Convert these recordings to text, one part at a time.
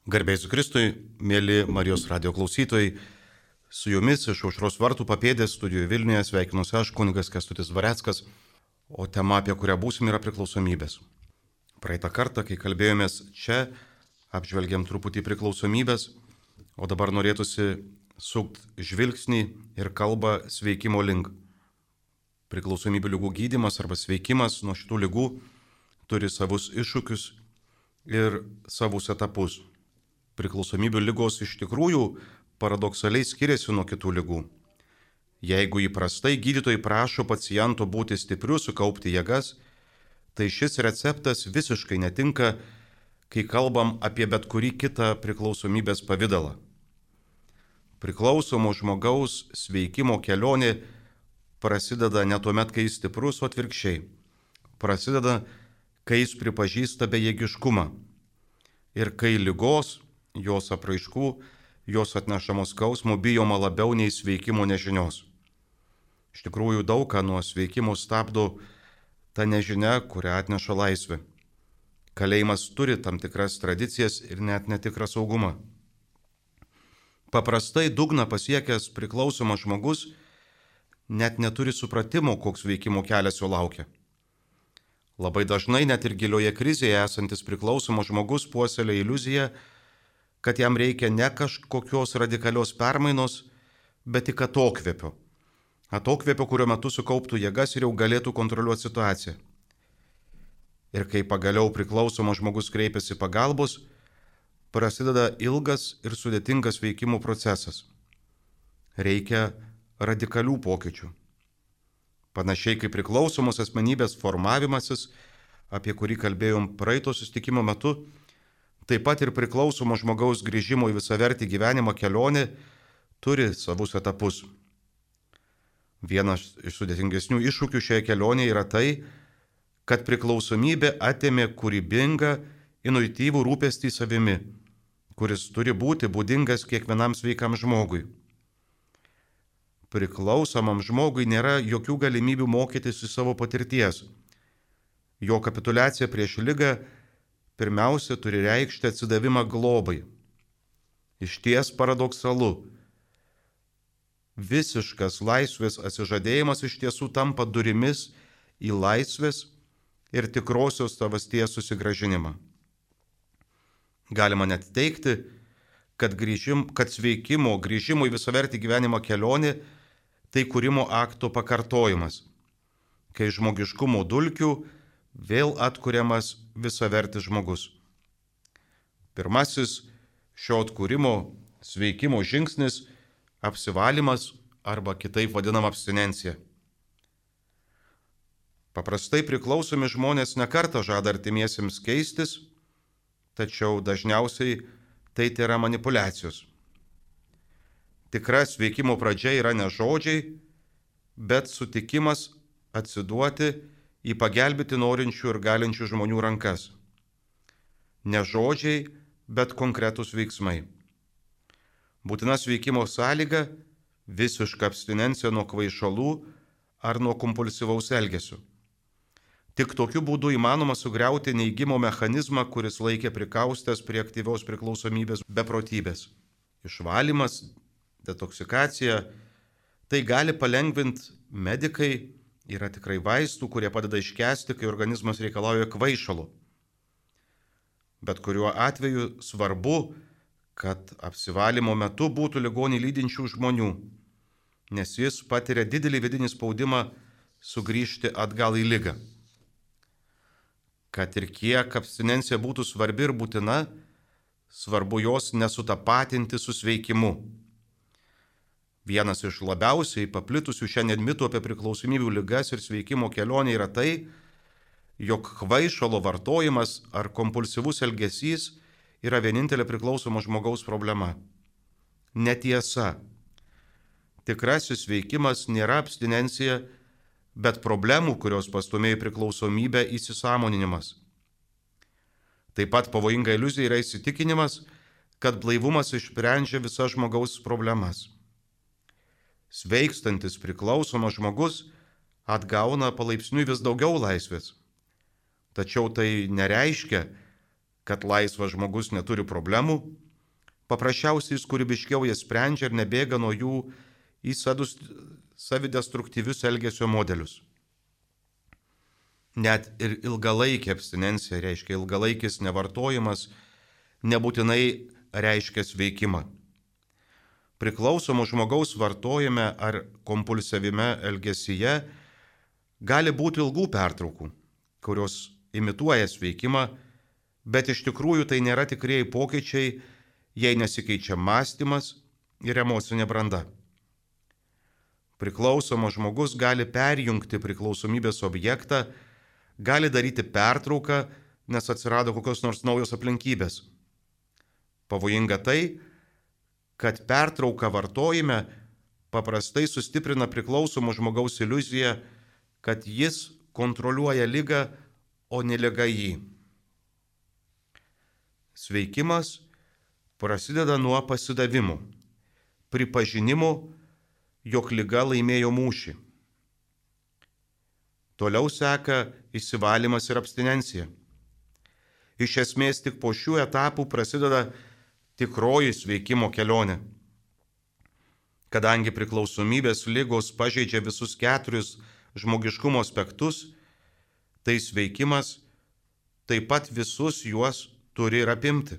Garbėjus Kristui, mėly Marijos radio klausytojai, su jumis iš Aušros vartų papėdės studijoje Vilniuje sveikinuosi aš, kunigas Kęstutis Dvareckas, o tema, apie kurią būsim, yra priklausomybės. Praeitą kartą, kai kalbėjomės čia, apžvelgiam truputį priklausomybės, o dabar norėtųsi sukti žvilgsnį ir kalbą sveikimo link. Priklausomybių lygų gydymas arba sveikimas nuo šitų lygų turi savus iššūkius ir savus etapus. Priklausomybių lygos iš tikrųjų paradoksaliai skiriasi nuo kitų lygų. Jeigu įprastai gydytojai prašo paciento būti stipriu, sukaupti jėgas, tai šis receptas visiškai netinka, kai kalbam apie bet kurį kitą priklausomybės pavidalą. Priklausomo žmogaus sveikimo kelionė prasideda ne tuomet, kai jis stiprus, o atvirkščiai. Prasideda, kai jis pripažįsta bejėgiškumą ir kai ligos, jos apraiškų, jos atnešamos skausmų bijoma labiau nei sveikimo nežinios. Iš tikrųjų daug ką nuo sveikimo stabdo ta nežinia, kurią atneša laisvė. Kalėjimas turi tam tikras tradicijas ir net netikrą saugumą. Paprastai dugną pasiekęs priklausomas žmogus net neturi supratimo, koks veikimo kelias jo laukia. Labai dažnai net ir gilioje krizėje esantis priklausomas žmogus puoselėja iliuziją, kad jam reikia ne kažkokios radikalios permainos, bet tik atokvėpio. Atokvėpio, kurio metu sukauptų jėgas ir jau galėtų kontroliuoti situaciją. Ir kai pagaliau priklausomas žmogus kreipiasi pagalbos, prasideda ilgas ir sudėtingas veikimo procesas. Reikia radikalių pokyčių. Panašiai kaip priklausomos asmenybės formavimasis, apie kurį kalbėjom praeito susitikimo metu, taip pat ir priklausomo žmogaus grįžimo į visavertį gyvenimą kelionė turi savus etapus. Vienas iš sudėtingesnių iššūkių šioje kelionėje yra tai, kad priklausomybė atėmė kūrybingą, intuityvų rūpestį savimi, kuris turi būti būdingas kiekvienam sveikam žmogui. Priklausomam žmogui nėra jokių galimybių mokytis iš savo patirties. Jo kapituliacija prieš ligą pirmiausia turi reikšti atsidavimą globai. Išties paradoksalu. Visiškas laisvės atsižadėjimas iš tiesų tampa durimis į laisvės ir tikrosios savasties susigrąžinimą. Galima net teigti, kad sveikimo, grįžimo į visavertį gyvenimo kelionė tai kūrimo akto pakartojimas, kai žmogiškumo dulkių vėl atkuriamas visavertis žmogus. Pirmasis šio atkūrimo sveikimo žingsnis – apsivalymas arba kitaip vadinama abstinencija. Paprastai priklausomi žmonės nekartą žada artimiesiems keistis, tačiau dažniausiai tai yra manipulacijos. Tikra sveikimo pradžia yra ne žodžiai, bet sutikimas atsiduoti į pagelbėti norinčių ir galinčių žmonių rankas. Ne žodžiai, bet konkretūs veiksmai. Būtina sveikimo sąlyga – visiška abstinencija nuo kvaišalų ar nuo kompulsyvaus elgesio. Tik tokiu būdu įmanoma sugriauti neigimo mechanizmą, kuris laikė prikaustęs prie aktyvios priklausomybės beprotybės. Išvalymas, detoksikacija – tai gali palengvinti medikai. Yra tikrai vaistų, kurie padeda iškęsti, kai organizmas reikalauja kvaišalo. Bet kuriuo atveju svarbu, kad apsivalymo metu būtų ligonį lydinčių žmonių, nes jis patiria didelį vidinį spaudimą sugrįžti atgal į ligą. Kad ir kiek abstinencija būtų svarbi ir būtina, svarbu jos nesutapatinti su sveikimu. Vienas iš labiausiai paplitusių šiandien mitų apie priklausomybių ligas ir sveikimo kelionę yra tai, jog kvaišalo vartojimas ar kompulsyvus elgesys yra vienintelė priklausomo žmogaus problema. Netiesa. Tikrasis sveikimas nėra abstinencija, bet problemų, kurios pastumėjo priklausomybę, įsisąmoninimas. Taip pat pavojinga iliuzija yra įsitikinimas, kad blaivumas išsprendžia visas žmogaus problemas. Sveikstantis priklausomas žmogus atgauna palaipsniui vis daugiau laisvės. Tačiau tai nereiškia, kad laisvas žmogus neturi problemų, paprasčiausiai jis kūrybiškiau jas sprendžia ir nebėga nuo jų į savidestruktyvius elgesio modelius. Net ir ilgalaikė abstinencija, reiškia ilgalaikis nevartojimas, nebūtinai reiškia sveikimą. Priklausomo žmogaus vartojime ar kompulsyvime elgesyje gali būti ilgų pertraukų, kurios imituoja sveikimą, bet iš tikrųjų tai nėra tikrieji pokyčiai, jei nesikeičia mąstymas ir emocinė branda. Priklausomas žmogus gali perjungti priklausomybės objektą, gali daryti pertrauką, nes atsirado kokios nors naujos aplinkybės. Pavojinga tai, kad pertrauka vartojime paprastai sustiprina priklausomo žmogaus iliuziją, kad jis kontroliuoja ligą, o ne liga jį. Sveikimas prasideda nuo pasidavimo, pripažinimo, jog liga laimėjo mūšį. Toliau seka išsivalymas ir abstinencija. Iš esmės tik po šių etapų prasideda tikroji sveikimo kelionė. Kadangi priklausomybės ligos pažeidžia visus 4 žmogiškumo aspektus, tai sveikimas taip pat visus juos turi ir apimti.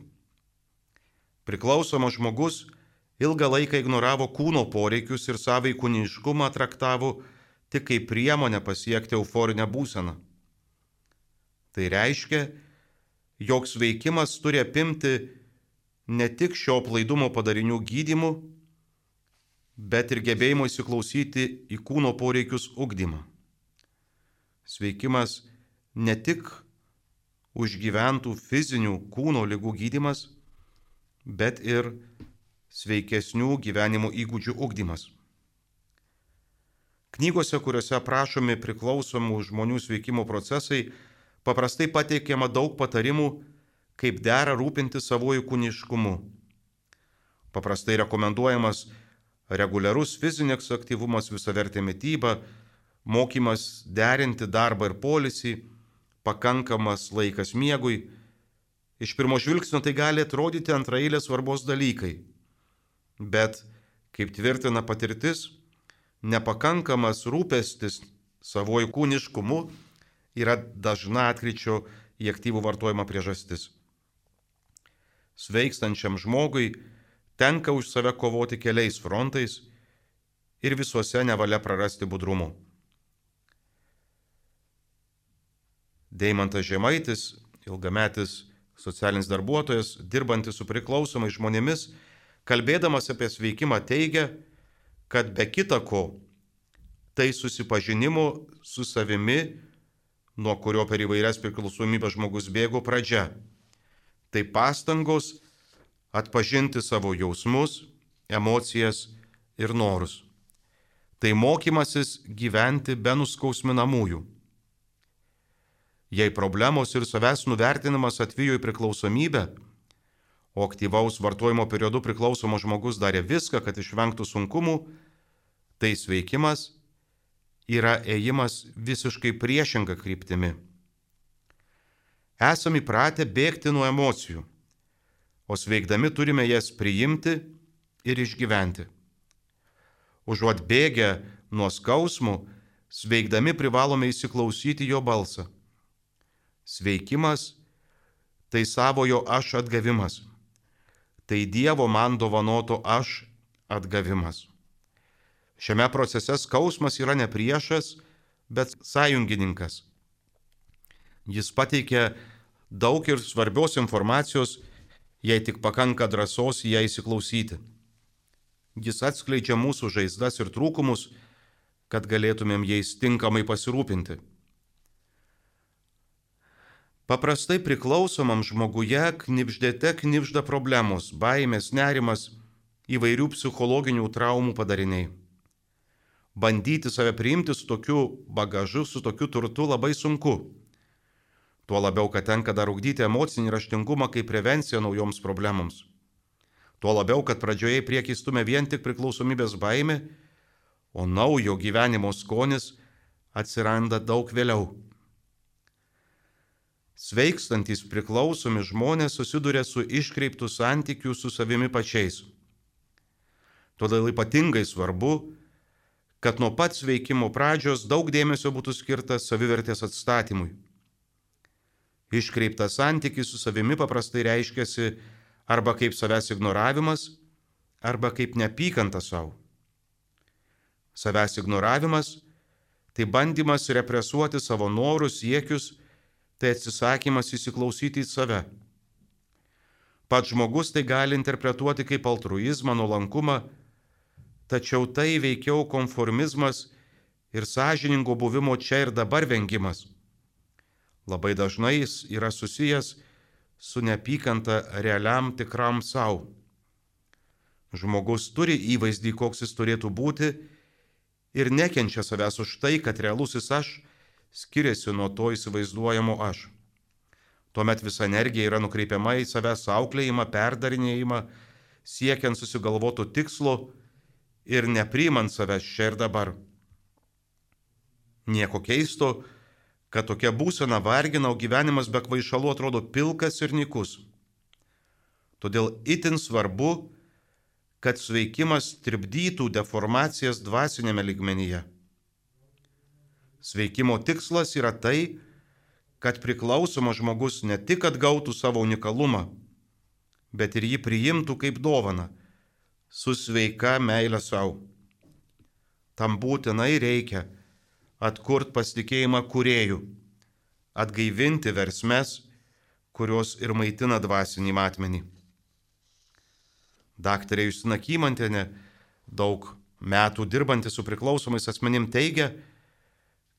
Priklausomas žmogus ilgą laiką ignoravo kūno poreikius ir savąjį kūniškumą traktavo tik kaip priemonę pasiekti euforinę būseną. Tai reiškia, jog sveikimas turi apimti ne tik šio aplaidumo padarinių gydymų, bet ir gebėjimo įsiklausyti į kūno poreikius ugdymą. Sveikimas ne tik užgyventų fizinių kūno ligų gydymas, bet ir sveikesnių gyvenimo įgūdžių ugdymas. Knygose, kuriuose aprašomi priklausomų žmonių sveikimo procesai, paprastai pateikiama daug patarimų, kaip dera rūpinti savojų kūniškumu. Paprastai rekomenduojamas reguliarus fizinis aktyvumas, visavertė mityba, mokymas derinti darbą ir poilsį, pakankamas laikas miegui. Iš pirmo žvilgsnio tai gali atrodyti antraeilės svarbos dalykai, bet, kaip tvirtina patirtis, nepakankamas rūpestis savojų kūniškumu yra dažna atkryčio į aktyvų vartojimą priežastis. Sveikstančiam žmogui tenka už save kovoti keliais frontais ir visuose nevalia prarasti budrumo. Deimantas Žemaitis, ilgametis socialinis darbuotojas, dirbantis su priklausomais žmonėmis, kalbėdamas apie sveikimą teigia, kad be kita ko, tai susipažinimo su savimi, nuo kurio per įvairias priklausomybės žmogus bėgo pradžia. Tai pastangos atpažinti savo jausmus, emocijas ir norus. Tai mokymasis gyventi be nuskausminamųjų. Jei problemos ir savęs nuvertinimas atvijo į priklausomybę, o aktyvaus vartojimo periodu priklausomas žmogus darė viską, kad išvengtų sunkumų, tai sveikimas yra ėjimas visiškai priešinga kryptimi. Esame įpratę bėgti nuo emocijų, o sveikdami turime jas priimti ir išgyventi. Užuot bėgę nuo skausmų, sveikdami privalome įsiklausyti jo balsą. Sveikimas – tai savojo aš atgavimas. Tai Dievo man dovanoto aš atgavimas. Šiame procese skausmas yra ne priešas, bet sąjungininkas. Jis pateikia daug ir svarbios informacijos, jei tik pakanka drąsos į ją įsiklausyti. Jis atskleidžia mūsų žaizdas ir trūkumus, kad galėtumėm jais tinkamai pasirūpinti. Paprastai priklausomam žmoguje knibždėte knibžda problemos, baimės, nerimas, įvairių psichologinių traumų padariniai. Bandyti save priimti su tokiu bagažu, su tokiu turtu labai sunku. Tuo labiau, kad tenka dar ugdyti emocinį raštingumą kaip prevenciją naujoms problemoms. Tuo labiau, kad pradžioje į priekį stumia vien tik priklausomybės baimė, o naujo gyvenimo skonis atsiranda daug vėliau. Sveikstantys priklausomi žmonės susiduria su iškreiptų santykių su savimi pačiais. Todėl ypatingai svarbu, kad nuo pat sveikimo pradžios daug dėmesio būtų skirta savivertės atstatymui. Iškreiptas santykis su savimi paprastai reiškiasi arba kaip savęs ignoravimas, arba kaip neapykanta savo. Savęs ignoravimas tai bandymas represuoti savo norus, siekius, tai atsisakymas įsiklausyti į save. Pats žmogus tai gali interpretuoti kaip altruizmą, nuolankumą, tačiau tai veikiau konformizmas ir sąžiningo buvimo čia ir dabar vengimas. Labai dažnai jis yra susijęs su neapykanta realiam tikram savo. Žmogus turi įvaizdį, koks jis turėtų būti ir nekenčia savęs už tai, kad realusis aš skiriasi nuo to įsivaizduojamo aš. Tuomet visa energija yra nukreipiama į savęs auklėjimą, perdarinėjimą, siekiant susigalvotų tikslo ir nepriimant savęs čia ir dabar. Nieko keisto, kad tokia būsena vargina, o gyvenimas be kvaišalų atrodo pilkas ir nykus. Todėl itin svarbu, kad sveikimas trikdytų deformacijas dvasinėme lygmenyje. Sveikimo tikslas yra tai, kad priklausomas žmogus ne tik atgautų savo unikalumą, bet ir jį priimtų kaip dovaną, su sveika meile savo. Tam būtinai reikia atkurti pasitikėjimą kūrėju, atgaivinti versmes, kurios ir maitina dvasinį matmenį. Daktarė Justina Kymantienė, daug metų dirbanti su priklausomais asmenim, teigia,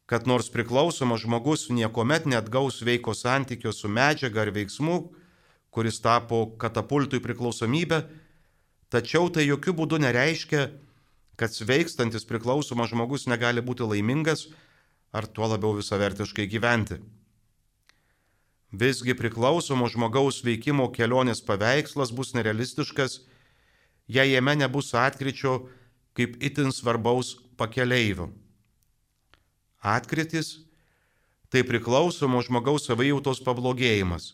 kad nors priklausomas žmogus niekuomet neatgaus sveiko santykio su medžiaga ar veiksmu, kuris tapo katapultui priklausomybę, tačiau tai jokių būdų nereiškia, kad sveikstantis priklausomas žmogus negali būti laimingas ar tuo labiau visavertiškai gyventi. Visgi priklausomo žmogaus veikimo kelionės paveikslas bus nerealistiškas, jei jame nebus atkryčio kaip itin svarbaus pakeleivio. Atkrytis – tai priklausomo žmogaus savijautos pablogėjimas,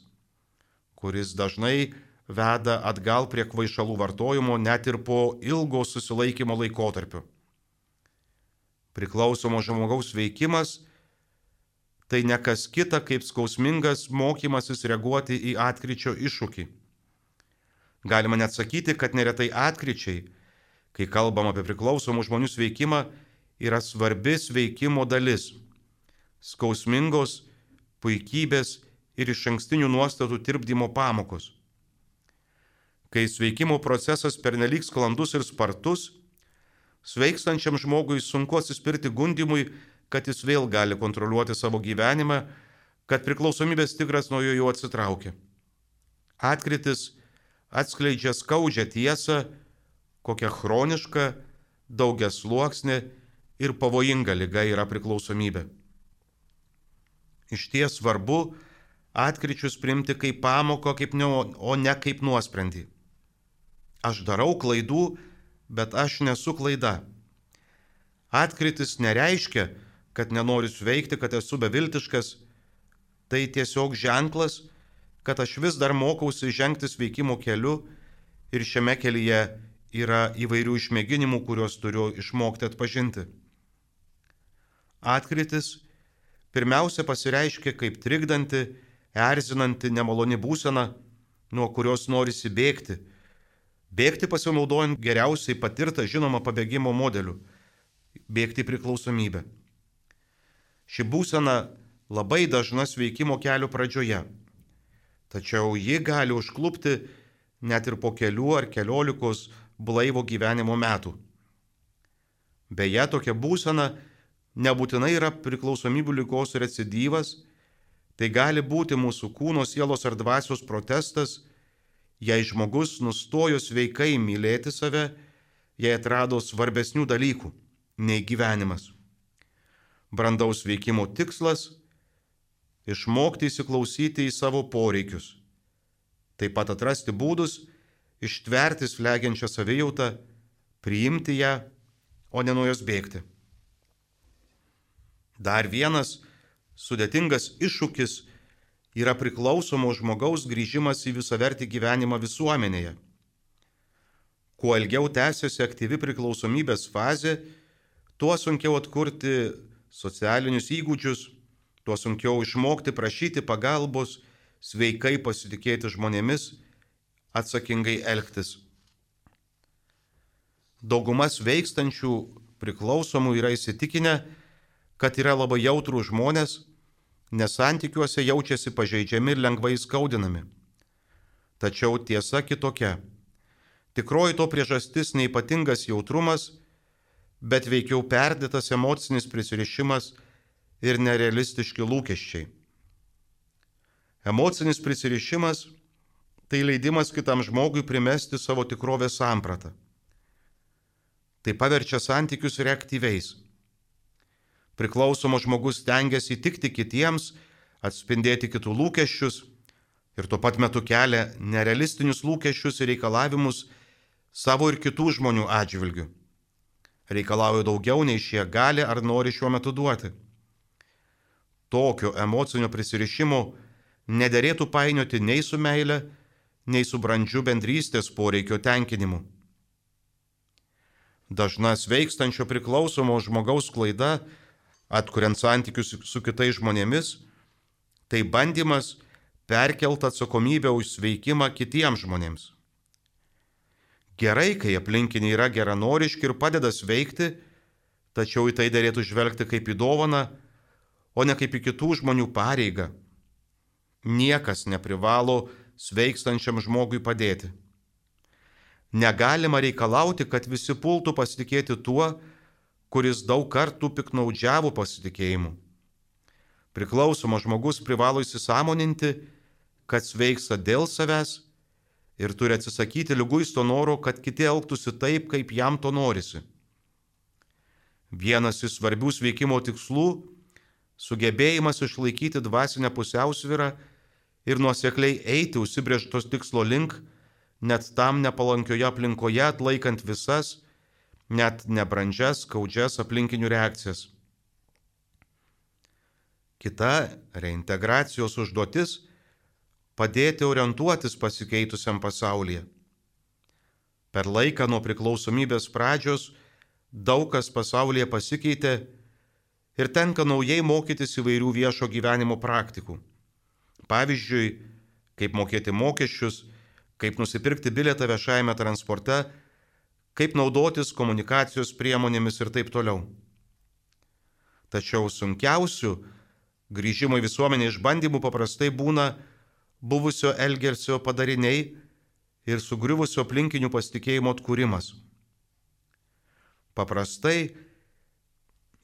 kuris dažnai veda atgal prie kvaišalų vartojimo net ir po ilgo susilaikymo laikotarpio. Priklausomo žmogaus veikimas – tai ne kas kita kaip skausmingas mokymasis reaguoti į atkryčio iššūkį. Galima net sakyti, kad neretai atkryčiai, kai kalbam apie priklausomų žmonių sveikimą, yra svarbi sveikimo dalis – skausmingos, puikybės ir išankstinių nuostatų tirpdymo pamokos. Kai sveikimo procesas pernelyg sklandus ir spartus, sveikstančiam žmogui sunku atsispirti gundymui, kad jis vėl gali kontroliuoti savo gyvenimą, kad priklausomybės tigras nuo jo jau atsitraukia. Atkrytis atskleidžia skaudžią tiesą, kokia chroniška, daugiasluoksnė ir pavojinga liga yra priklausomybė. Išties svarbu atkryčius priimti kaip pamoką, o ne kaip nuosprendį. Aš darau klaidų, bet aš nesu klaida. Atkrytis nereiškia, kad nenoriu sveikti, kad esu beviltiškas. Tai tiesiog ženklas, kad aš vis dar mokausi žengti sveikimo keliu ir šiame kelyje yra įvairių išmėginimų, kuriuos turiu išmokti atpažinti. Atkrytis pirmiausia pasireiškia kaip trikdanti, erzinanti, nemaloni būsena, nuo kurios norisi bėgti. Bėgti pasinaudojant geriausiai patirtą žinomą pabėgimo modeliu – bėgti priklausomybę. Ši būsena labai dažna sveikimo kelio pradžioje, tačiau ji gali užklupti net ir po kelių ar keliolikos blaivo gyvenimo metų. Beje, tokia būsena nebūtinai yra priklausomybių ligos recidyvas, tai gali būti mūsų kūno, sielos ar dvasios protestas, jei žmogus nustojo sveikai mylėti save, jei atrado svarbesnių dalykų nei gyvenimas. Brandaus veikimo tikslas – išmokti įsiklausyti į savo poreikius, taip pat atrasti būdus, ištverti slegiančią savijautą, priimti ją, o ne nuo jos bėgti. Dar vienas sudėtingas iššūkis yra priklausomo žmogaus grįžimas į visavertį gyvenimą visuomenėje. Kuo ilgiau tęsiasi aktyvi priklausomybės fazė, tuo sunkiau atkurti socialinius įgūdžius, tuo sunkiau išmokti prašyti pagalbos, sveikai pasitikėti žmonėmis, atsakingai elgtis. Dauguma sveikstančių priklausomų yra įsitikinę, kad yra labai jautrų žmonės, nes santykiuose jaučiasi pažeidžiami ir lengvai skaudinami. Tačiau tiesa kitokia. Tikroji to priežastis neypatingas jautrumas, bet veikiau perdėtas emocinis prisirišimas ir nerealistiški lūkesčiai. Emocinis prisirišimas – tai leidimas kitam žmogui primesti savo tikrovės sampratą. Tai paverčia santykius reaktyviais. Priklausomas žmogus stengiasi įtikti kitiems, atspindėti kitų lūkesčius ir tuo pat metu kelia nerealistinius lūkesčius ir reikalavimus savo ir kitų žmonių atžvilgių. Reikalauja daugiau, nei šie gali ar nori šiuo metu duoti. Tokio emocinio prisirišimo nederėtų painioti nei su meile, nei su brandžiu bendrystės poreikio tenkinimu. Dažna sveikstančio priklausomo žmogaus klaida, atkuriant santykius su kitais žmonėmis, tai bandymas perkelti atsakomybę už sveikimą kitiems žmonėms. Gerai, kai aplinkiniai yra geranoriški ir padeda sveikti, tačiau į tai derėtų žvelgti kaip į dovaną, o ne kaip į kitų žmonių pareigą. Niekas neprivalo sveikstančiam žmogui padėti. Negalima reikalauti, kad visi pultų pasitikėti tuo, kuris daug kartų piknaudžiavo pasitikėjimu. Priklausomas žmogus privalo įsisąmoninti, kad sveiksta dėl savęs ir turi atsisakyti liguisto noro, kad kiti elgtųsi taip, kaip jam to norisi. Vienas iš svarbių sveikimo tikslų – sugebėjimas išlaikyti dvasinę pusiausvyrą ir nuosekliai eiti užsibrėžtos tikslo link, net tam nepalankioje aplinkoje atlaikant visas, net nebrandžias, skaudžias aplinkinių reakcijas. Kita reintegracijos užduotis – padėti orientuotis pasikeitusiam pasaulyje. Per laiką nuo priklausomybės pradžios daug kas pasaulyje pasikeitė ir tenka naujai mokytis įvairių viešo gyvenimo praktikų. Pavyzdžiui, kaip mokėti mokesčius, kaip nusipirkti bilietą viešajame transporte, kaip naudotis komunikacijos priemonėmis ir taip toliau. Tačiau sunkiausių grįžimo į visuomenę išbandymų paprastai būna buvusio elgesio padariniai ir sugriuvusio aplinkinių pasitikėjimo atkūrimas. Paprastai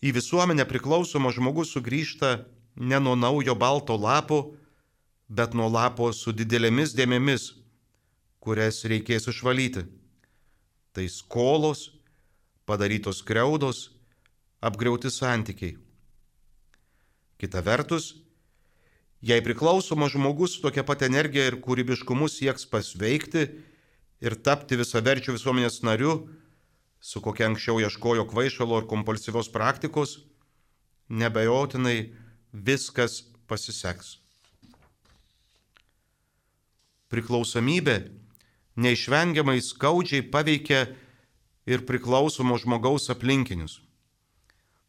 į visuomenę priklausomas žmogus sugrįžta ne nuo naujo balto lapo, bet nuo lapo su didelėmis dėmėmis, kurias reikės išvalyti. Tai skolos, padarytos skriaudos, apgriauti santykiai. Kita vertus, jei priklausomas žmogus su tokia pat energija ir kūrybiškumu sieks pasveikti ir tapti visaverčiu visuomenės nariu, su kokia anksčiau ieškojo kvaišalo ir kompulsyvios praktikos, nebejotinai viskas pasiseks. Priklausomybė neišvengiamai skaudžiai paveikia ir priklausomo žmogaus aplinkinius.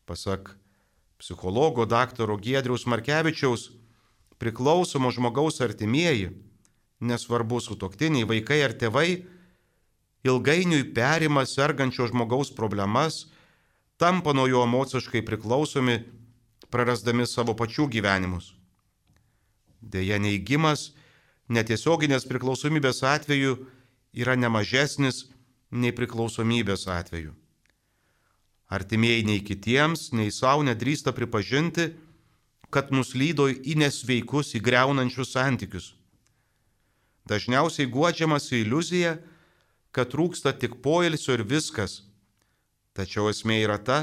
Pasak psichologo daktaro Giedriaus Markevičiaus, priklausomo žmogaus artimieji, nesvarbu sutuoktiniai, vaikai ar tėvai, ilgainiui perima sergančio žmogaus problemas, tampa nuo jo emociškai priklausomi, prarasdami savo pačių gyvenimus. Deja, neigimas netiesioginės priklausomybės atveju yra nemažesnis nei priklausomybės atveju. Artimieji nei kitiems, nei savo nedrįsta pripažinti, kad nuslydo į nesveikus, įgriaunančius santykius. Dažniausiai guodžiamasi iliuzija, kad trūksta tik poilsio ir viskas. Tačiau esmė yra ta,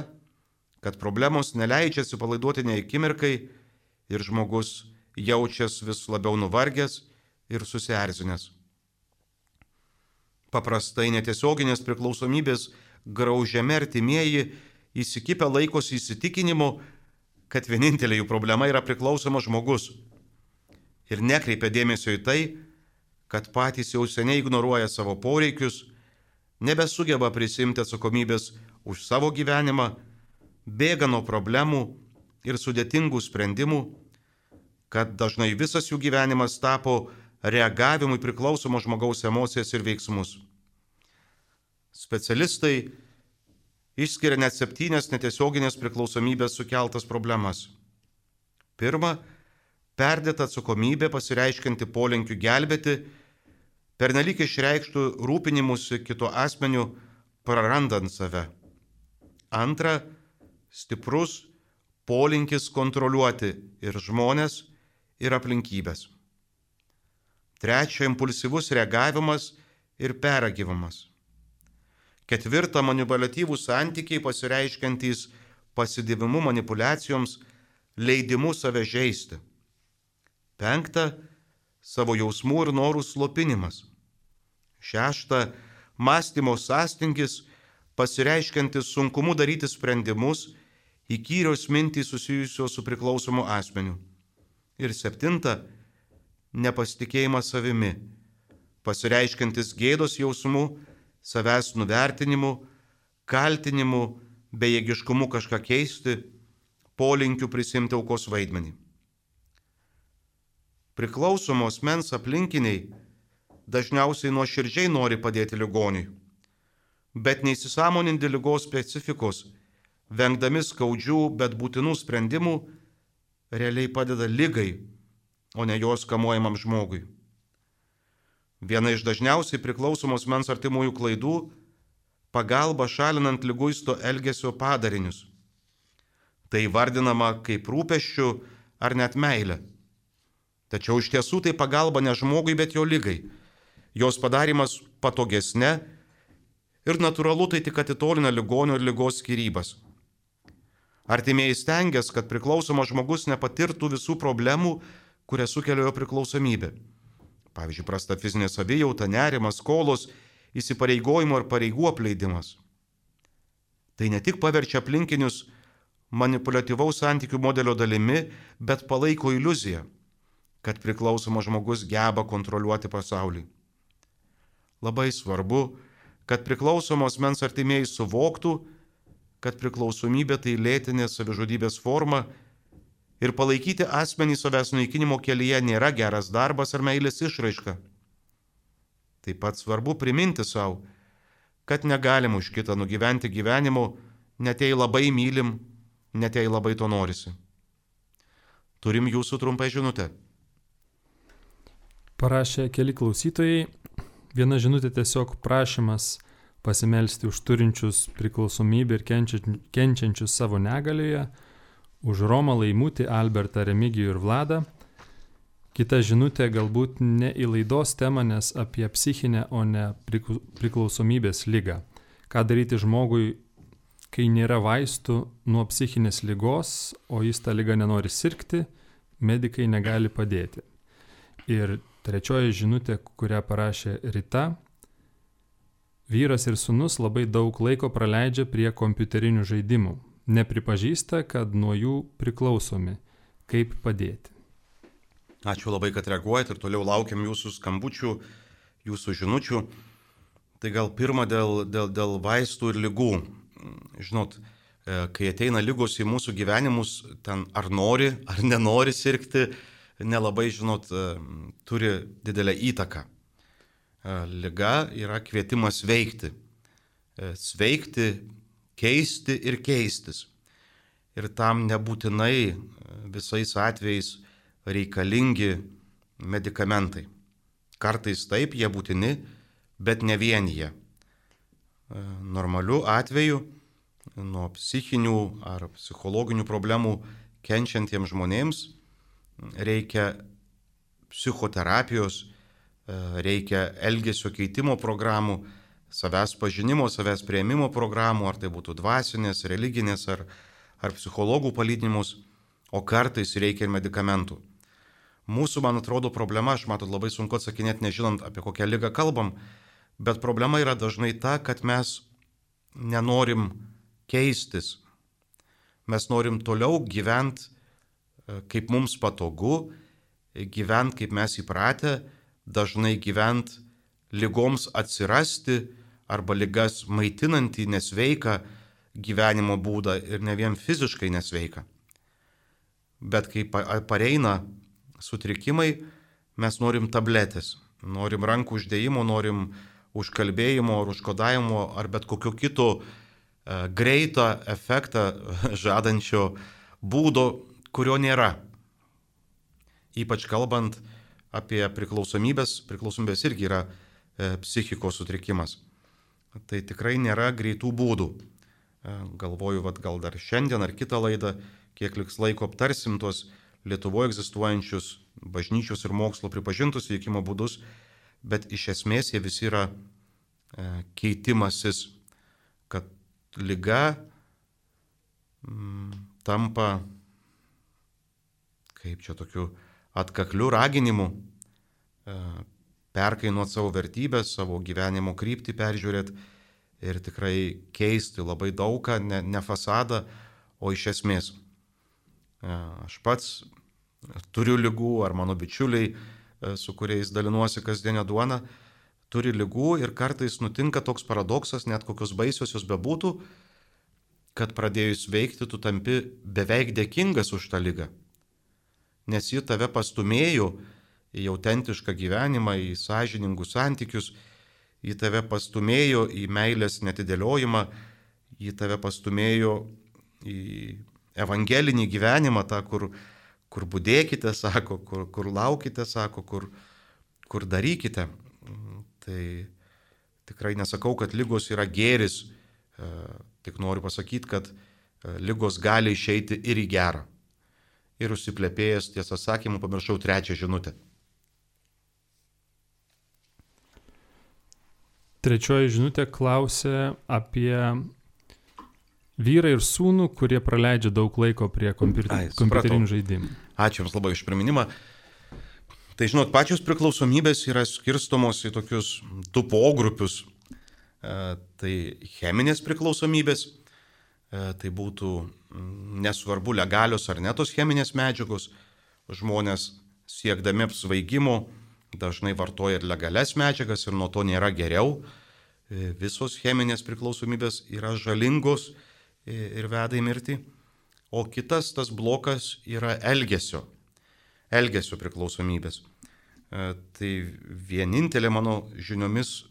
kad problemos neleidžia atsipalaiduoti nei akimirkai ir žmogus jaučias vis labiau nuvargęs ir susierzinęs. Paprastai netiesioginės priklausomybės graužiami artimieji įsikibę laikosi įsitikinimu, kad vienintelė jų problema yra priklausomas žmogus. ir nekreipia dėmesio į tai, kad patys jau seniai ignoruoja savo poreikius, nebesugeba prisimti atsakomybės už savo gyvenimą, bėga nuo problemų ir sudėtingų sprendimų, kad dažnai visas jų gyvenimas tapo reagavimui priklausomo žmogaus emocijas ir veiksmus. Specialistai išskiria net 7 netiesioginės priklausomybės sukeltas problemas. Pirma, perdėta atsakomybė pasireiškianti polinkiu gelbėti, pernelyg išreikštų rūpinimusi kito asmeniu, prarandant save. Antra, stiprus polinkis kontroliuoti ir žmonės, ir aplinkybės. Trečia, impulsyvus reagavimas ir pergyvenimas. Ketvirta, manipuliatyvūs santykiai pasireiškiantys pasidavimu manipuliacijoms, leidimu save žeisti. Penkta, savo jausmų ir norų slopinimas. Šešta, mąstymo sąstingis pasireiškiantis sunkumu daryti sprendimus, įkyrios mintys susijusios su priklausomu asmeniu. Ir septinta, nepasitikėjimas savimi, pasireiškiantis gėdos jausmu, savęs nuvertinimu, kaltinimu, bejėgiškumu kažką keisti, polinkiu prisimti aukos vaidmenį. Priklausomos asmens aplinkiniai dažniausiai nuoširdžiai nori padėti ligoniui, bet neįsisąmoninti ligos specifikos, vengdami skaudžių, bet būtinų sprendimų, realiai padeda ligai, o ne jos kamuojamam žmogui. Viena iš dažniausiai priklausomos asmens artimųjų klaidų – pagalba šalinant liguisto elgesio padarinius. Tai vardinama kaip rūpesčių ar net meilė. Tačiau iš tiesų tai pagalba ne žmogui, bet jo ligai. Jos padarimas patogesne ir natūralu tai tik atitolina ligonio ir ligos skyrybas. Artimieji stengiasi, kad priklausomas žmogus nepatirtų visų problemų, kurias sukelia jo priklausomybė. Pavyzdžiui, prasta fizinė savijauta, nerimas, skolos, įsipareigojimo ir pareigų apleidimas. Tai ne tik paverčia aplinkinius manipuliatyvaus santykių modelio dalimi, bet palaiko iliuziją, kad priklausomas žmogus geba kontroliuoti pasaulį. Labai svarbu, kad priklausomos asmens artimieji suvoktų, kad priklausomybė tai lėtinė savižudybės forma ir palaikyti asmenį savęs naikinimo kelyje nėra geras darbas ar meilės išraiška. Taip pat svarbu priminti savo, kad negalim už kitą nugyventi gyvenimo, net jei labai mylim, net jei labai to norisi. Turim jūsų trumpą žinutę. Parašė keli klausytojai. Viena žinutė tiesiog prašymas pasimelsti už turinčius priklausomybę ir kenčiančius savo negalioje, už Romą Laimutį, Albertą, Remigijų ir Vladą. Kita žinutė galbūt ne į laidos temą, nes apie psichinę, o ne priklausomybės ligą. Ką daryti žmogui, kai nėra vaistų nuo psichinės ligos, o jis tą ligą nenori sirgti, medikai negali padėti. Ir trečioji žinutė, kurią parašė Rita. Vyras ir sūnus labai daug laiko praleidžia prie kompiuterinių žaidimų. Nepripažįsta, kad nuo jų priklausomi. Kaip padėti? Ačiū labai, kad reaguojat ir toliau laukiam jūsų skambučių, jūsų žinučių. Tai gal pirma dėl vaistų ir ligų. Žinot, kai ateina ligos į mūsų gyvenimus, ten ar nori, ar nenori sirgti, nelabai, žinot, turi didelę įtaką. Liga yra kvietimas veikti. Sveikti, keisti ir keistis. Ir tam nebūtinai visais atvejais reikalingi medikamentai. Kartais taip, jie būtini, bet ne vien jie. Normaliu atveju nuo psichinių ar psichologinių problemų kenčiantiems žmonėms reikia psichoterapijos, reikia elgesio keitimo programų, savęs pažinimo, savęs priėmimo programų, ar tai būtų dvasinės, religinės ar psichologų palydinimus, o kartais reikia ir medikamentų. Mūsų, man atrodo, problema, aš matot, labai sunku atsakinėti, nežinant, apie kokią ligą kalbam, bet problema yra dažnai ta, kad mes nenorim keistis. Mes norim toliau gyventi, kaip mums patogu, gyventi, kaip mes įpratę, dažnai gyventi ligoms atsirasti arba ligas maitinantį nesveiką gyvenimo būdą ir ne vien fiziškai nesveiką. Bet kai pareina sutrikimai, mes norim tabletės, norim rankų uždėjimo, norim užkalbėjimo ar užkodavimo ar bet kokio kito greitą efektą žadančio būdo, kurio nėra. Ypač kalbant apie priklausomybės, priklausomybės irgi yra psichikos sutrikimas. Tai tikrai nėra greitų būdų. Galvoju, gal dar šiandien ar kitą laidą, kiek liks laiko aptarsim tuos Lietuvoje egzistuojančius bažnyčios ir mokslo pripažintus veikimo būdus, bet iš esmės jie visi yra keitimasis, kad liga tampa, kaip čia tokiu atkakliu raginimu, perkainuoti savo vertybės, savo gyvenimo kryptį peržiūrėti ir tikrai keisti labai daugą, ne fasadą, o iš esmės. Aš pats turiu ligų, ar mano bičiuliai, su kuriais dalinuosi kasdienę duoną, turi ligų ir kartais nutinka toks paradoksas, net kokios baisios jos bebūtų, kad pradėjus veikti, tu tampi beveik dėkingas už tą ligą. Nes ji tave pastumėjo į autentišką gyvenimą, į sąžiningus santykius, ji tave pastumėjo į meilės netidėliojimą, ji tave pastumėjo į evangelinį gyvenimą, tą, kur budėkite, sako, kur laukite, sako, kur darykite. Tai tikrai nesakau, kad ligos yra gėris, tik noriu pasakyti, kad ligos gali išeiti ir į gerą. Ir užsiplepėjęs, tiesą sakymu, pamiršau 3 žinutę. 3 žinutė klausia apie vyrą ir sūnų, kurie praleidžia daug laiko prie kompiuterinių žaidimų. Ačiū Jums labai už priminimą. Tai žinot, pačios priklausomybės yra skirstomos į tokius 2 pogrupius. Tai cheminės priklausomybės, tai būtų nesvarbu legalios ar netos cheminės medžiagos. Žmonės siekdami apsvaigimo dažnai vartoja ir legalias medžiagas ir nuo to nėra geriau. Visos cheminės priklausomybės yra žalingos ir veda į mirtį. O kitas tas blokas yra elgesio priklausomybės. Tai vienintelė mano žiniomis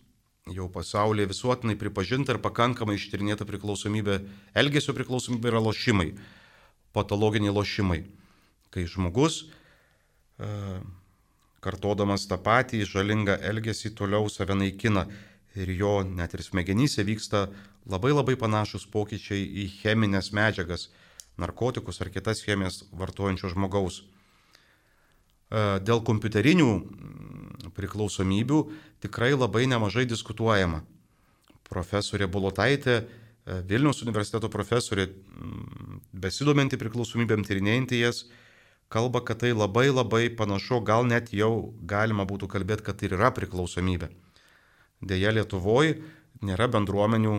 jau pasaulyje visuotinai pripažinta ir pakankamai ištyrinėta priklausomybė, elgesio priklausomybė yra lošimai, patologiniai lošimai. Kai žmogus, kartodamas tą patį žalingą elgesį, toliau save naikina ir jo net ir smegenyse vyksta labai labai panašus pokyčiai į cheminės medžiagas, narkotikus ar kitas chemijas vartojančio žmogaus. Dėl kompiuterinių priklausomybių tikrai labai nemažai diskutuojama. Profesorė Bulotaitė, Vilniaus universiteto profesorė, besidominti priklausomybėm, tyrinėjanti jas, kalba, kad tai labai labai panašu, gal net jau galima būtų kalbėti, kad tai yra priklausomybė. Deja, Lietuvoje nėra bendruomenių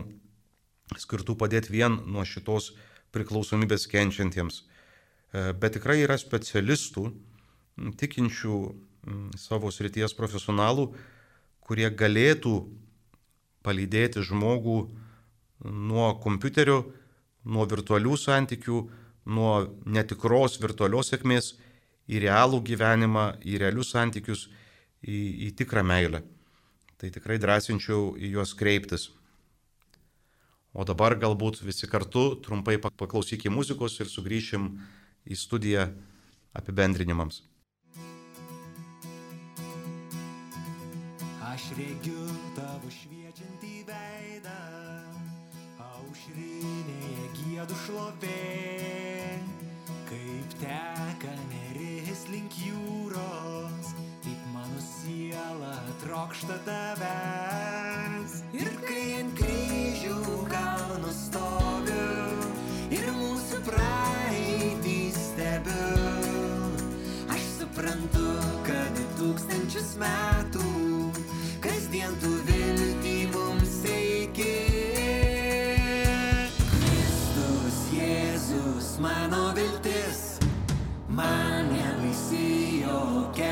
skirtų padėti vien nuo šitos priklausomybės kenčiantiems. Bet tikrai yra specialistų, tikinčių savo srities profesionalų, kurie galėtų palydėti žmogų nuo kompiuterio, nuo virtualių santykių, nuo netikros virtualios sėkmės į realų gyvenimą, į realius santykius, į tikrą meilę. Tai tikrai drąsinčiau į juos kreiptis. O dabar galbūt visi kartu trumpai paklausykime muzikos ir sugrįšim į studiją apibendrinimams. Aš regiu tavo šviečiantį veidą, aušrinėje giedu šlovė, kaip teka neris link jūros, taip mano siela trokšta tavęs. Ir kai ant kryžių kalno stoviu ir mūsų praeitį stebiu, aš suprantu, kad 1000 metų kasdien tu viltį mums teiki. Kristus Jėzus mano viltis, man nebaisi jokia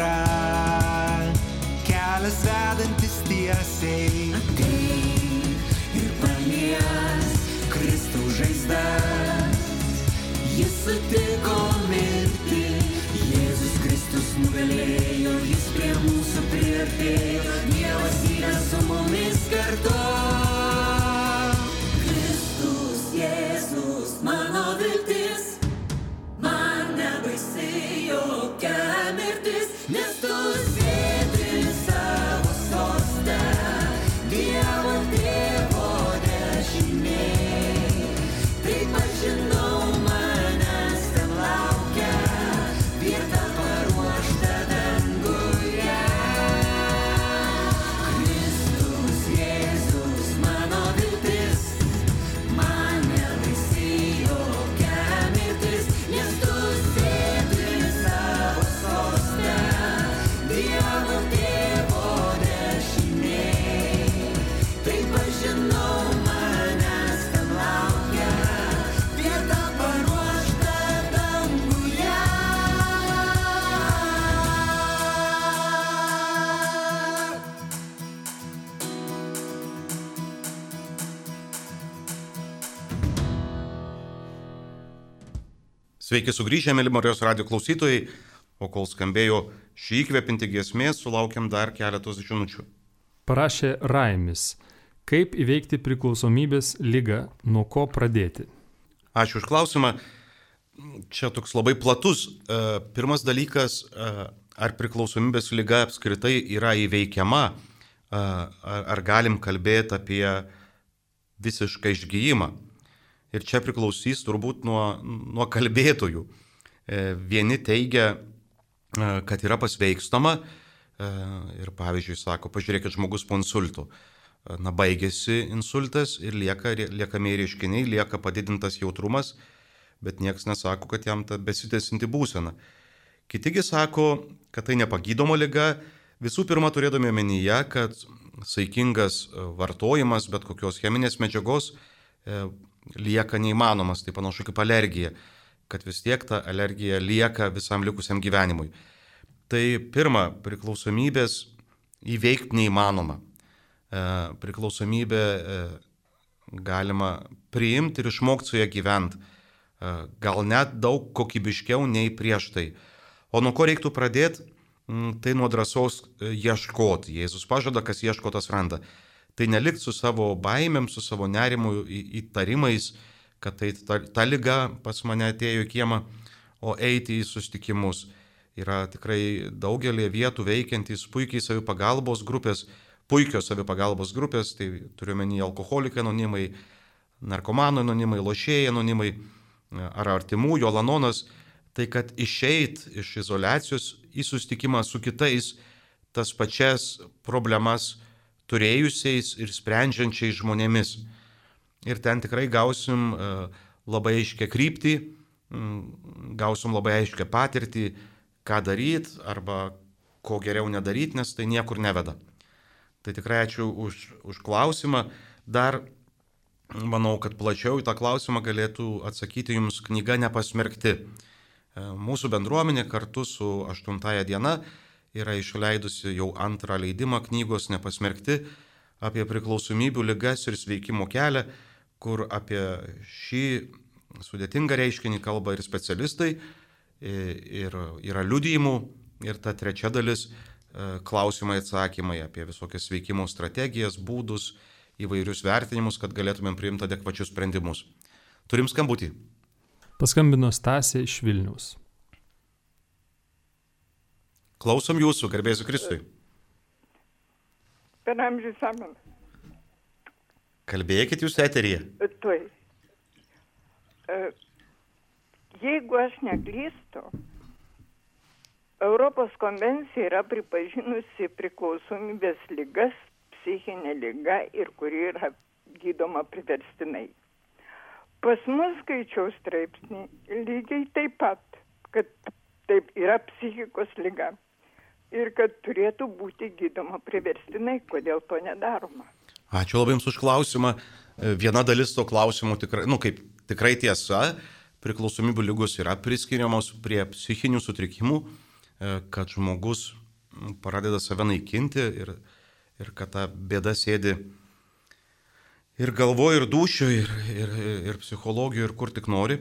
yra kelias vedantis tiesiai. Ateik ir palies Kristaus žaizdas. Jis sutiko mirti, Jėzus Kristus nugalėjo, jis prie mūsų priartėjo, Dievas yra su mumis kartu. Kristus, Jėzus, mano viltis, man nebaisi jokia mirtis, nes tu sėdi savo soste, Dievo tėvo dešinėj. Taip aš žinau, manęs ten laukia vieta paruošta danguje. Kristus, Jėzus, mano viltis, man nebaisi jokia mirtis, nes tu sėdi savo soste, Dievo tėvo dešinėj. Taip aš žinau, manęs ten laukia vieta paruošta danguje. Sveiki sugrįžę, mėly Marijos radijo klausytojai, o kol skambėjo šį įkvepinti giesmė, sulaukiam dar keletos žinučių. Parašė Raimis. Kaip įveikti priklausomybės ligą, nuo ko pradėti? Ačiū už klausimą. Čia toks labai platus. Pirmas dalykas, ar priklausomybės liga apskritai yra įveikiama, ar galim kalbėti apie visišką išgijimą. Ir čia priklausys turbūt nuo kalbėtojų. Vieni teigia, kad yra pasveikstama ir pavyzdžiui sako, pažiūrėkit, žmogus po insultų. Baigėsi insultas ir liekami reiškiniai, lieka padidintas jautrumas, bet niekas nesako, kad jam ta besitęsinti būsena. Kitigi sako, kad tai nepagydoma liga, visų pirma turėdami omenyje, kad saikingas vartojimas bet kokios cheminės medžiagos lieka neįmanomas, tai panašu kaip alergija, kad vis tiek ta alergija lieka visam likusiam gyvenimui. Tai pirma, priklausomybės įveikti neįmanoma. Priklausomybę galima priimti ir išmokti su ją gyventi, gal net daug kokybiškiau nei prieš tai. O nuo ko reiktų pradėti, tai nuo drąsos ieškoti. Jėzus pažada, kas ieško, tas randa. Tai nelikti su savo baimėm, su savo nerimu, įtarimais, kad tai ta liga pas mane atėjo į kiemą, o eiti į susitikimus. Yra tikrai daugelį vietų veikiantys puikios savipagalbos grupės, tai turiu menį alkoholikai anonimai, narkomanų anonimai, lošėjai anonimai ar artimųjų, Alanonas, tai kad išeit iš izoliacijos į susitikimą su kitais tas pačias problemas turėjusiais ir sprendžiančiais žmonėmis. Ir ten tikrai gausim labai aiškę kryptį, gausim labai aiškę patirtį, ką daryti arba ko geriau nedaryti, nes tai niekur neveda. Tai tikrai ačiū už klausimą. Dar manau, kad plačiau į tą klausimą galėtų atsakyti jums knyga Nepasmerkti. Mūsų bendruomenė kartu su 8 diena yra išleidusi jau 2 leidimą knygos Nepasmerkti apie priklausomybių ligas ir sveikimo kelią, kur apie šį sudėtingą reiškinį kalba ir specialistai, ir yra liudijimų, ir ta trečia dalis klausimai, atsakymai apie visokias sveikimo strategijas, būdus, įvairius vertinimus, kad galėtumėm priimti adekvačius sprendimus. Turim skambutį. Paskambino Stasė iš Vilniaus. Klausom jūsų, garbėsiu Kristui. Per amžius amen. Kalbėkit jūs eteryje. Tuoj. Jeigu aš neklystu, Europos konvencija yra pripažinusi priklausomybės ligas, psichinė liga ir kuri yra gydoma priverstinai. Pas mus skaičiau straipsnį lygiai taip pat, kad taip yra psichikos liga ir kad turėtų būti gydoma priverstinai, kodėl to nedaroma. Ačiū labai jums už klausimą. Viena dalis to klausimų tikrai tiesa, priklausomybių ligos yra priskiriamos prie psichinių sutrikimų, kad žmogus pradeda save naikinti ir kad ta bėda sėdi ir galvoje, ir dūšioje, ir psichologijoje, ir kur tik nori.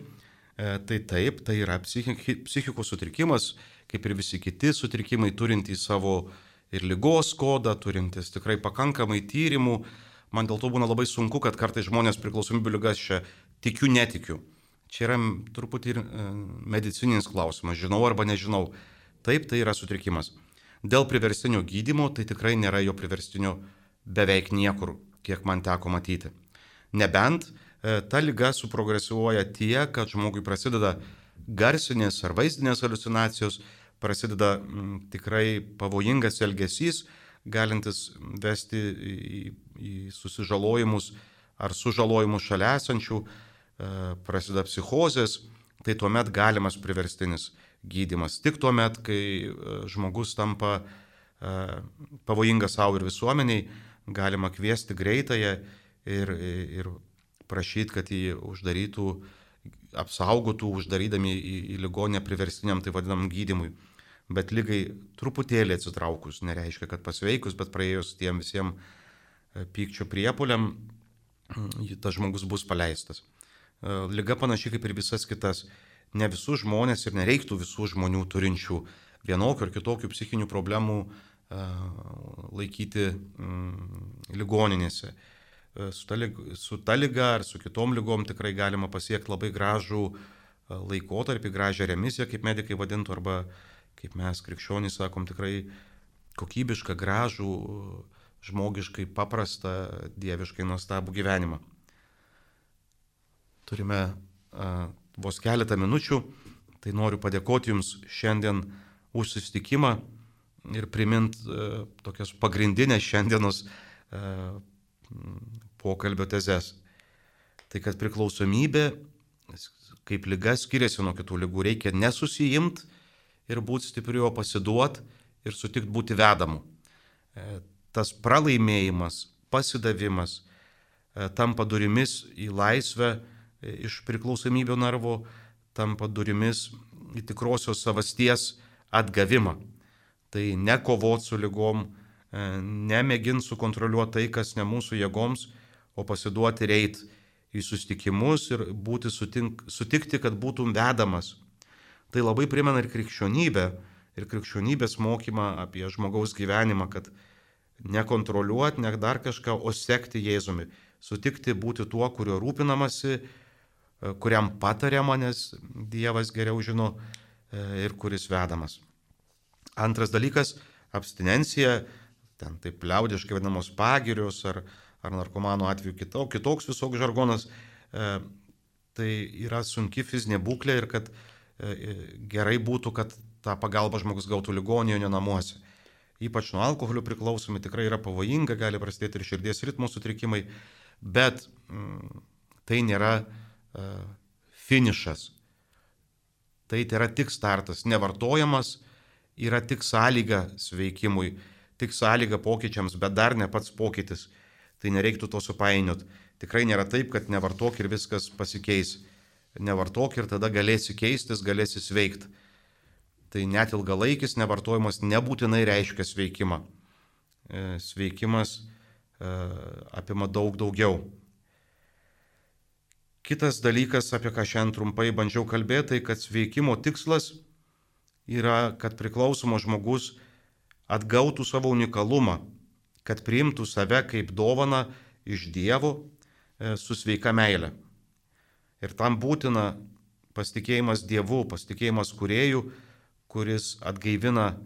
Tai taip, tai yra psichikos sutrikimas, kaip ir visi kiti sutrikimai, turintys savo ir ligos kodą, turintys tikrai pakankamai tyrimų. Man dėl to būna labai sunku, kad kartais žmonės priklausomybių ligas čia tikiu, netikiu. Čia yra truputį ir medicininis klausimas, žinau arba nežinau. Taip, tai yra sutrikimas. Dėl priverstinio gydymo, tai tikrai nėra jo priverstinio beveik niekur, kiek man teko matyti. Nebent ta liga suprogresuoja tiek, kad žmogui prasideda garsinės ar vaizdinės haliucinacijos, prasideda tikrai pavojingas elgesys, galintis vesti į susižalojimus ar sužalojimus šalia esančių, prasideda psichozės, tai tuomet galimas priverstinis gydymas. Tik tuomet, kai žmogus tampa pavojingas savo ir visuomeniai, galima kviesti greitąją ir prašyti, kad jį uždarytų, apsaugotų, uždarydami į ligoninę priverstiniam, tai vadinam, gydymui. Bet ligai truputėlį atsitraukus, nereiškia, kad pasveikus, bet praėjus tiem visiems pykčio priepuoliam, tas žmogus bus paleistas. Liga panašiai kaip ir visas kitas. Ne visus žmonės ir nereiktų visų žmonių turinčių vienokių ar kitokių psichinių problemų laikyti ligoninėse. Su ta liga ar su kitom ligom tikrai galima pasiekti labai gražų laikotarpį, gražią remisiją, kaip medikai vadintų, arba kaip mes krikščionys sakom, tikrai kokybišką, gražų, žmogiškai paprastą, dieviškai nuostabų gyvenimą. Turime vos keletą minučių, tai noriu padėkoti Jums šiandien už susitikimą ir primint tokias pagrindinės šiandienos pokalbio tezes. Tai kad priklausomybė, kaip liga, skiriasi nuo kitų ligų. Reikia nesusijimti ir būti stipriu, o pasiduoti ir sutikti būti vedamu. Tas pralaimėjimas, pasidavimas tampa durimis į laisvę iš priklausomybio narvo, tampa durimis į tikrosios savasties atgavimą. Tai ne kovoti su ligom, nemėginti sukontroliuoti tai, kas ne mūsų jėgoms, o pasiduoti ir eiti į susitikimus ir būti sutikti, kad būtum vedamas. Tai labai primena ir krikščionybę, ir krikščionybės mokymą apie žmogaus gyvenimą, kad nekontroliuoti, ne dar kažką, o sekti Jėzumi. Sutikti būti tuo, kurio rūpinamasi, kuriam patariama, nes Dievas geriau žino ir kuris vedamas. Antras dalykas - abstinencija, ten taip liaudiškai vadinamos pagirios ar narkomanų atveju kitoks visoks žargonas. Tai yra sunki fizinė būklė ir kad gerai būtų, kad tą pagalbą žmogus gautų ligoninėje, o ne namuose. Ypač nuo alkoholio priklausomi tikrai yra pavojinga, gali prasidėti ir širdies ritmo sutrikimai, bet tai nėra finišas. Tai yra tik startas. Nevartojamas yra tik sąlyga sveikimui, tik sąlyga pokyčiams, bet dar ne pats pokytis. Tai nereiktų to supainioti. Tikrai nėra taip, kad nevartok ir viskas pasikeis. Nevartok ir tada galėsi keistis, galėsi sveikti. Tai net ilgalaikis nevartojimas nebūtinai reiškia sveikimą. Sveikimas apima daug daugiau. Kitas dalykas, apie ką šiandien trumpai bandžiau kalbėti, tai kad sveikimo tikslas yra, kad priklausomas žmogus atgautų savo unikalumą, kad priimtų save kaip dovaną iš Dievo su sveika meile. Ir tam būtina pasitikėjimas Dievu, pasitikėjimas Kūrėju, kuris atgaivina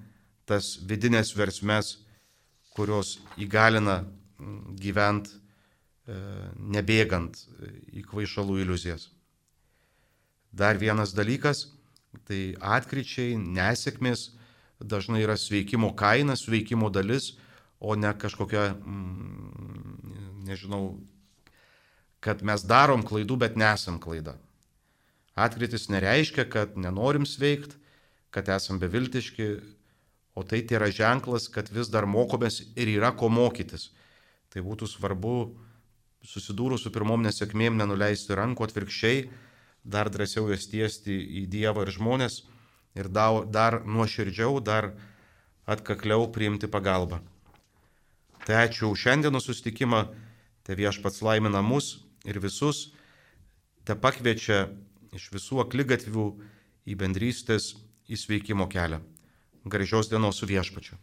tas vidinės versmes, kurios įgalina gyventi nebėgant į kvaišalų iliuzijas. Dar vienas dalykas, tai atkryčiai, nesėkmės dažnai yra sveikimo kaina, sveikimo dalis, o ne kažkokia, nežinau, kad mes darom klaidų, bet nesam klaida. Atkrytis nereiškia, kad nenorim sveikti, kad esam beviltiški, o tai yra ženklas, kad vis dar mokomės ir yra ko mokytis. Tai būtų svarbu susidūrus su pirmom nesėkmėm nenuleisti rankų, atvirkščiai, dar drąsiau jas tiesti į Dievą ir žmonės ir dar nuoširdžiau, dar atkakliau priimti pagalbą. Tai ačiū už šiandienos susitikimą, te Viešpats laimina mus ir visus, te pakviečia iš visų akligatvių į bendrystės įsveikimo kelią. Gražios dienos su Viešpačiu.